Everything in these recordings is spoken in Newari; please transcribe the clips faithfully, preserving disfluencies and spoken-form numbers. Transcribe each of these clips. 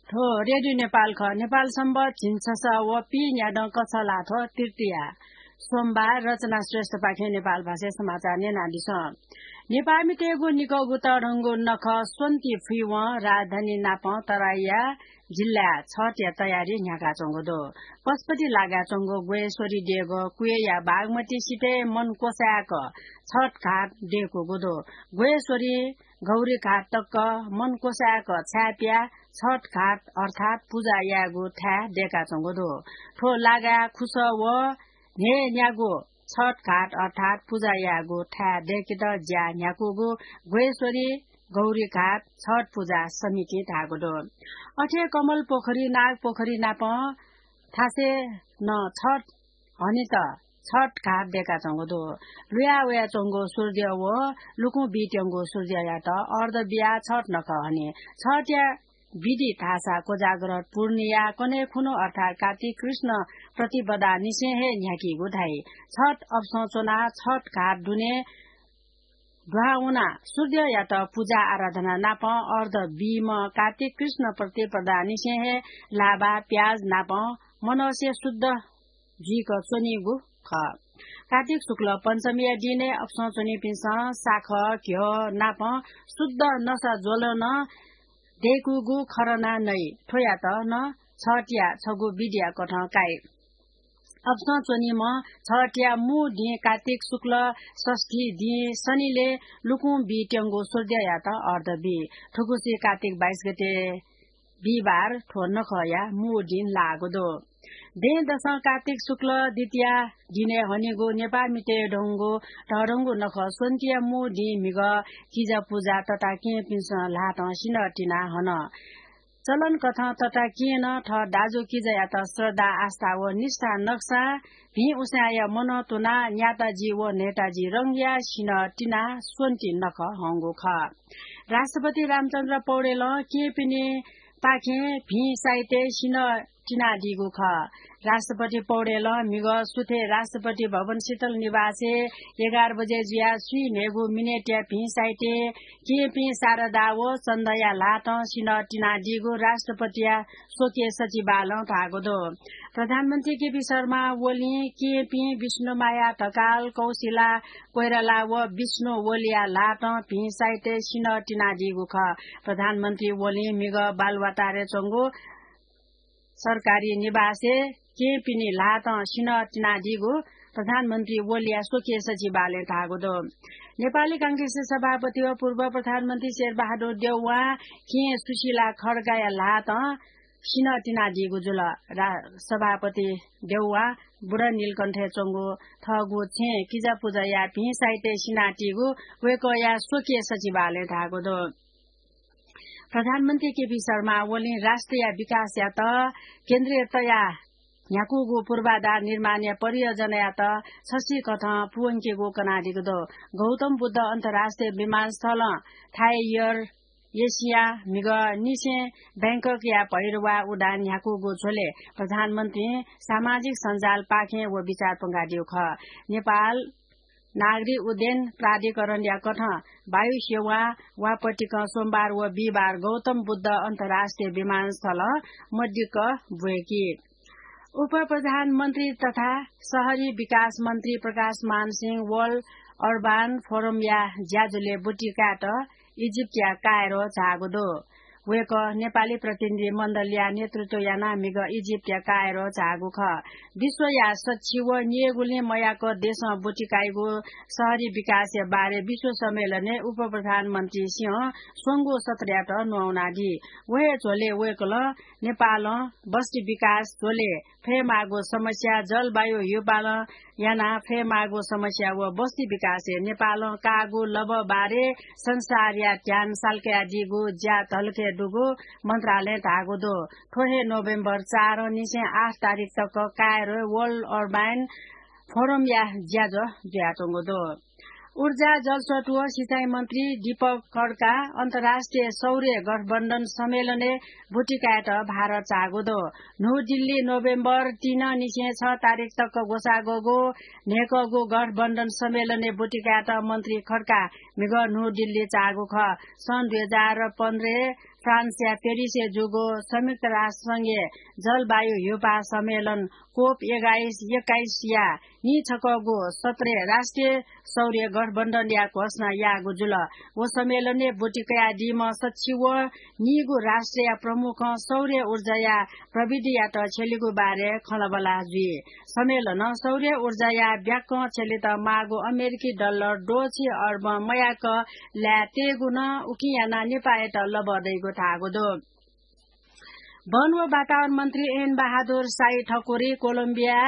थ्व रेडियो नेपाल खः। नेपाल संवत झिंछसः व पीन्यादँ कछलाथ्व तृतीया सोमबार। रचना श्रेष्ठपाखें नेपाल भाषाय् समाचार न्यनादिसँ। नेपाःमितय्गु निकःगु तःधंगु नखः स्वन्ति फुइवं राजधानी नापं तराईया जिल्लाय् छठया तयारी न्ह्याकाच्वंगु दु। पशुपति लागाच्वंगु ग्वयेश्वरी देगः कुयेया बागमती सिथय् मन क्वसाय्क छठ घाट दय्कूगु दु। ग्वयेश्वरी गौरीघाट तक मन क्वसाय्क छाय्पियाः छठ घाट अर्थात् पुजा यायेगु थाय् दय्काच्वंगु दु। थ्व लागाय् खुसः व न्हय्न्यागू छठ घाट अर्थात् पुजा यायेगु थाय् दय्केत ज्या न्ह्याकूगु ग्वयेश्वरी गौरीघाट छठ पुजा समितिं धाःगु दु। अथे कमल पोखरी, नाग पोखरी नापं थासय् नं छठ हनेत छठ घाट दय्काच्वंगु दु। लुया वयाच्वंगु सूर्य व लुकुं बीत्यंगु सूर्ययात अर्घ बियाः छठ नखः हनी। छठया विधि धाःसा कोजाग्रत पूर्णिया कन्हय् खुन्हु अर्थात् कात्तिक कृष्ण प्रतिपदा निसें हे न्ह्याकीगु धाइ। छठ अपसं च्वनाः छठ घाट दुने दुहां वनाः सूर्ययात पुजा आराधना नापं अर्घ बीम्ह कात्तिक कृष्ण प्रतिपदा निसें हे लाभा प्याज नापं मनसे शुद्ध जुइक च्वनीगु खः। कात्तिक शुक्ल पञ्चमीया दिनय् अपसं च्वनीपिन्सं साखः, घ्यः नापं शुद्ध नसा ज्वलं दय्कूगु खँरना नइ। थ्वयात नं छठया छगू विधिया कथं काइ। अपसं च्वनीम्ह छठया मू दिं कात्तिक शुक्ल षष्ठी दिं शनिलय् लुकुं बीत्यंगु सूर्ययात अर्घ बी। थुगुसी कात्तिक बाइस गते बिहिबार थ्व नखःया मू दिं लाःगु दु। दँय्दसं कात्तिक शुक्ल द्वितीया दिनय् हनीगु नेपाःमितय् धंगु तःधंगु नखः स्वन्तिया मू दिं म्हिगः किजा पुजा तताकेहेँपिन्सं ल्हातं सिन्हः तिनाः हन। चलन कथं तताकेहेँनं थः दाजुकिजायात श्रद्धा, आस्था व निष्ठा नकसां भिं उसाँय्या मनं तुनाः न्याताजी व न्हय्ताजी रंगया सिन्हः तिनाः स्वन्ति नखः हंगु खः। राष्ट्रपति रामचन्द्र पौडेलं केहेँपिनिपाखें भिं साइतय् सिन्हः तिनादीगु खः। राष्ट्रपति पौडेलं म्हिगः सुथय् राष्ट्रपति भवन शीतल निवासय् एघार बजे जुयाः स्वीन्हय्गू मिनेटया भिं साइतय् केहेँपिं शारदा व चन्दया ल्हातं सिन्हः तिनादीगु राष्ट्रपतिया स्वकीय सचिवालयं धाःगु दु। प्रधानमन्त्री केपी शर्मा ओलीं केहेँपिं विष्णुमाया ढकाल, कौशिला कोइराला व विष्णु ओलीया ल्हातं भिं साइतय् सिन्हः तिनादीगु खः। प्रधानमन्त्री ओलीं म्हिगः बालुवाटारय् च्वंगु सरकारी निवासय् केहेँपिनि ल्हातं सिन्हः तिनादीगु प्रधानमन्त्री ओलीया स्वकीय सचिवालयं धाःगु दु। नेपाली कांग्रेसया सभापति व पूर्व प्रधानमन्त्री शेरबहादुर देउवां केहेँ सुशीला खड्गाया ल्हातं सिन्हः तिनादीगु जुल। रा-, सभापति देउवां बुढानीलकण्ठय् च्वंगु थःगु छेँय् किजा पुजा याः भिं साइतय् सिनातःगु वय्कःया स्वकीय सचिवालयं धाःगु दु। प्रधानमन्त्री केपी शर्मा ओलीं राष्ट्रया विकासयात केन्द्रय् तयाः न्ह्याकूगु पूर्वाधार निर्माणया परियोजनायात छसिकथं पूवंकेगु कनादीगु दु। गौतम बुद्ध अन्तर्राष्ट्रिय विमानस्थलं थाई एयर एसिया म्हिगः निसें बैंककया भैरवा उडान न्ह्याकूगु झ्वलय् प्रधानमन्त्रीं सामाजिक सञ्जालपाखें व विचार प्वंकादीगु खः। नेपाल नागरिक उड्डयन प्राधिकरणया कथं वायु सेवा वापतिकं सोमबार व बिहिबार गौतम बुद्ध अन्तर्राष्ट्रिय विमानस्थलं मदिक्क ब्वय्की। उपप्रधानमन्त्री तथा शहरी विकास मन्त्री प्रकाशमान सिंह वर्ल्ड अर्बान फोरमया ज्याझ्वलय् ब्वति कायेत इजिप्टया कायरो झाःगु दु। वय्कः नेपाली प्रतिनिधि मण्डलया नेतृत्व यानाः म्हिगः इजिप्टया कायरो झाःगु खः। विश्वया सच्छि व निय्गुलिं मयाक देशं ब्वति काइगु शहरी विकासया बारे विश्व सम्मेलनय् उपप्रधानमन्त्री सिंहं स्वंगू सत्रयात न्ववानादी। व हे झ्वलय् वय्कलं नेपालं बस्ती विकास झ्वलय् फयेमाःगु समस्या, जलवायु हिउपालं यानाः फयेमाःगु समस्या व बस्ती विकासय् नेपालं काःगु लँप बारे संसारया ध्यान साल्कादीगु ज्या धलखय् दुगु मन्त्रालयं धाःगु दु। थ्व हे नोभेम्बर चार निसें आठ तारिख तक कायरोय् वर्ल्ड अर्बान फोरमया ज्याझ्वः जुयाच्वंगु दु। ऊर्जा, जलस्रोत व सिँचाइ मन्त्री दीपक खड्का अन्तर्राष्ट्रिय सौर्य गठबन्धन सम्मेलनय् ब्वति कायेत भारत झाःगु दु। न्हू दिल्ली नोभेम्बर तीन निसें छ तारिख तक ग्वसाः ग्वःगु न्हय्कःगु गठबन्धन सम्मेलनय् ब्वति कायेत मन्त्री खड्का म्हिगः न्हू दिल्ली झाःगु खः। सन् दुई हजार पन्ध्रय् फ्रान्सया पेरिसय् जूगु संयुक्त राष्ट्र संघया जलवायु ह्यूपाः सम्मेलन कोप एघाइस, एक्काइसया नीछकःगु सत्रय् राष्ट्रिय सौर्य गठबन्धनया घोषणा याःगु जुल। व सम्मेलनय् ब्वति कयादीम्ह सच्छि व नीगु राष्ट्रया प्रमुखं सौर्य ऊर्जाया प्रविधियात छ्यलीगु बारे खँल्हाबल्हा जुइ। सम्मेलनं सौर्य ऊर्जाया ब्याकं छ्यलेत माःगु अमेरिकी डलर द्वःछि अर्ब मयाक ल्याः तयेगु नं उकिं यानाः नेपाःयात लबः दइगु धाःगु दु। वन व वातावरण मन्त्री एन बहादुर शाही ठकुरी कोलम्बिया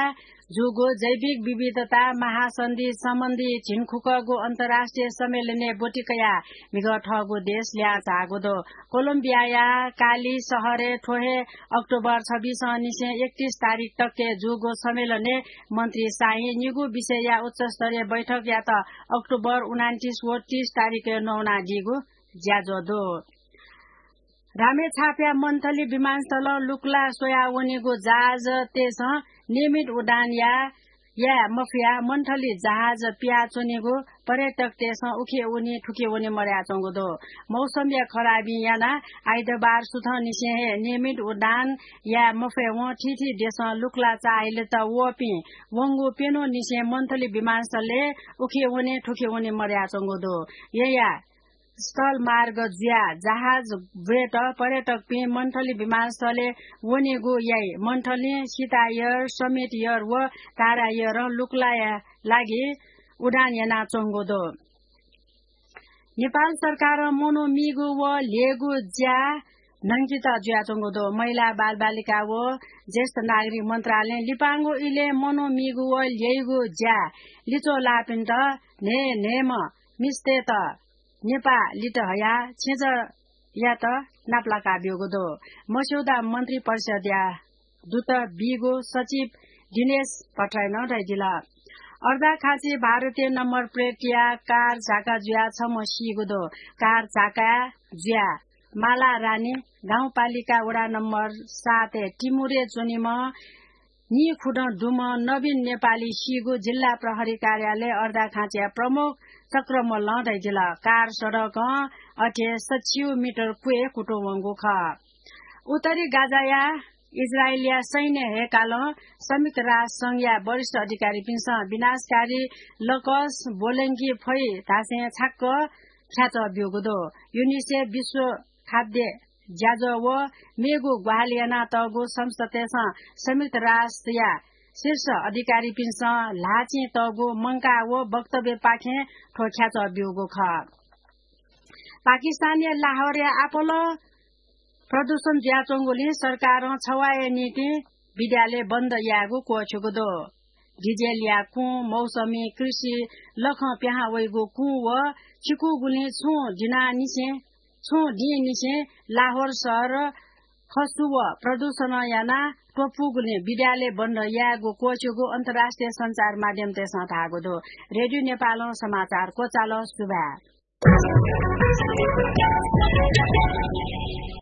जूगु जैविक विविधता महासन्धि सम्बन्धी झिंखुकःगु अन्तर्राष्ट्रिय सम्मेलनय् ब्वति कयाः म्हिगः थःगु देश ल्याः झाःगु दु। कोलम्बियाया काली शहरय् थ्व हे अक्टोबर छब्बीस निसें एकतीस तारिख तकय् जूगु सम्मेलनय् मन्त्री शाहीं निगू विषयया उच्चस्तरीय बैठकयात अक्टोबर उनान्तीस व तीस तारिखय् नवानादीगु ज्याझ्वः दु। रामेछापया मन्थली विमानस्थलं लुकुला स्वयाः वनीगु जहाजतय्सं नियमित उडान या, याये मफयाः मन्थली जहाज पियाच्वनीगु पर्यटकतय्सं उखे वनी थुखे वनी मदयाच्वंगु दु। मौसमया खराबीं यानाः आइतबार सुथंनिसें हे नियमित उडान याये मफयेवं थीथी देशं लुकुला चाःहिलेत वःपिं वंगु प्यन्हुंनिसें मन्थली विमानस्थलय् उखे वने थुखे वने मदयाच्वंगु दु। यया स्थल मार्ग जुयाः जहाज ब्वयेत पर्यटकपिं मन्थली विमानस्थलय् वनेगु याइ। मन्थलीं सीता एयर, समिट एयर व तारा एयरं लुकुलाया लागि उडान यानाच्वंगु दु। नेपाल सरकारं मनू मीगु व ल्ययेगु ज्या न्हंकेत जुयाच्वंगु दु। महिला, बालबालिका व ज्येष्ठ नागरिक मन्त्रालयं लिपांगु इलय् मनू मीगु व ल्ययेगु ज्या लिच्वः लाःपिन्त न्हय् न्हय्म्ह मिस्तय्त नेपाः लित हयाः छेँजःयात नापलाका ब्यूगु दु। मस्यौदा मन्त्री परिषदया दूत बीगु सचिव दिनेश भट्टराईं नं धयादिल। अर्दाखाँची भारतीय नम्बर प्लेटया कार झाका जुयाः छम्ह सीगु दु। कार झाका जुयाः माला रानी गाउँपालिका वडा नम्बर सातय् टिमुरे च्वनीम्ह नीखुदँ दुम्ह नवीन नेपाली सीगु जिल्ला प्रहरी कार्यालय अर्दाखाँचीया प्रमुख चक्रमल्लं धयादिल। कार सडकं अथे सच्छि मिटर क्वय् कुतुं वंगु खः। उत्तरी गाजाया इजरायलया सैन्य हय्कालं संयुक्त राष्ट्र संघया वरिष्ठ अधिकारीपिन्सं विनाशकारी लकस ब्वलंके फइ धासें छाक्क ख्याच्वः ब्यूगु दु। युनिसेफ, विश्व खाद्य ज्याझ्वः व मेगु ग्वाहालि यानातःगु संस्थातय्सं संयुक्त राष्ट्रया शीर्ष अधिकारीपिन्सं ल्हाःचिं तःगु मंकाः व वक्तव्यपाखें थ्व ख्याच्वः ब्यूगु खः। पाकिस्तानया लाहोरया आपालं प्रदूषण जुयाच्वंगुलिं सरकारं छवाःया निंतिं विद्यालय बन्द यायेगु क्वःछ्यूगु दु। डिजेलया कुँ, मौसमी कृषि लखं पिहां वइगु कुँ व चिकूगुलिं छुं दिंनिसें, छुं दिंनिसें लाहोर शहर खसु व प्रदूषणं यानाः त्वपुगुलिं विद्यालय बन्द यायेगु क्वःछ्यूगु अन्तर्राष्ट्रिय सञ्चार माध्यमतय्सं धाःगु दु। रेडियो नेपालं समाचार क्वचाल। सुभाय्।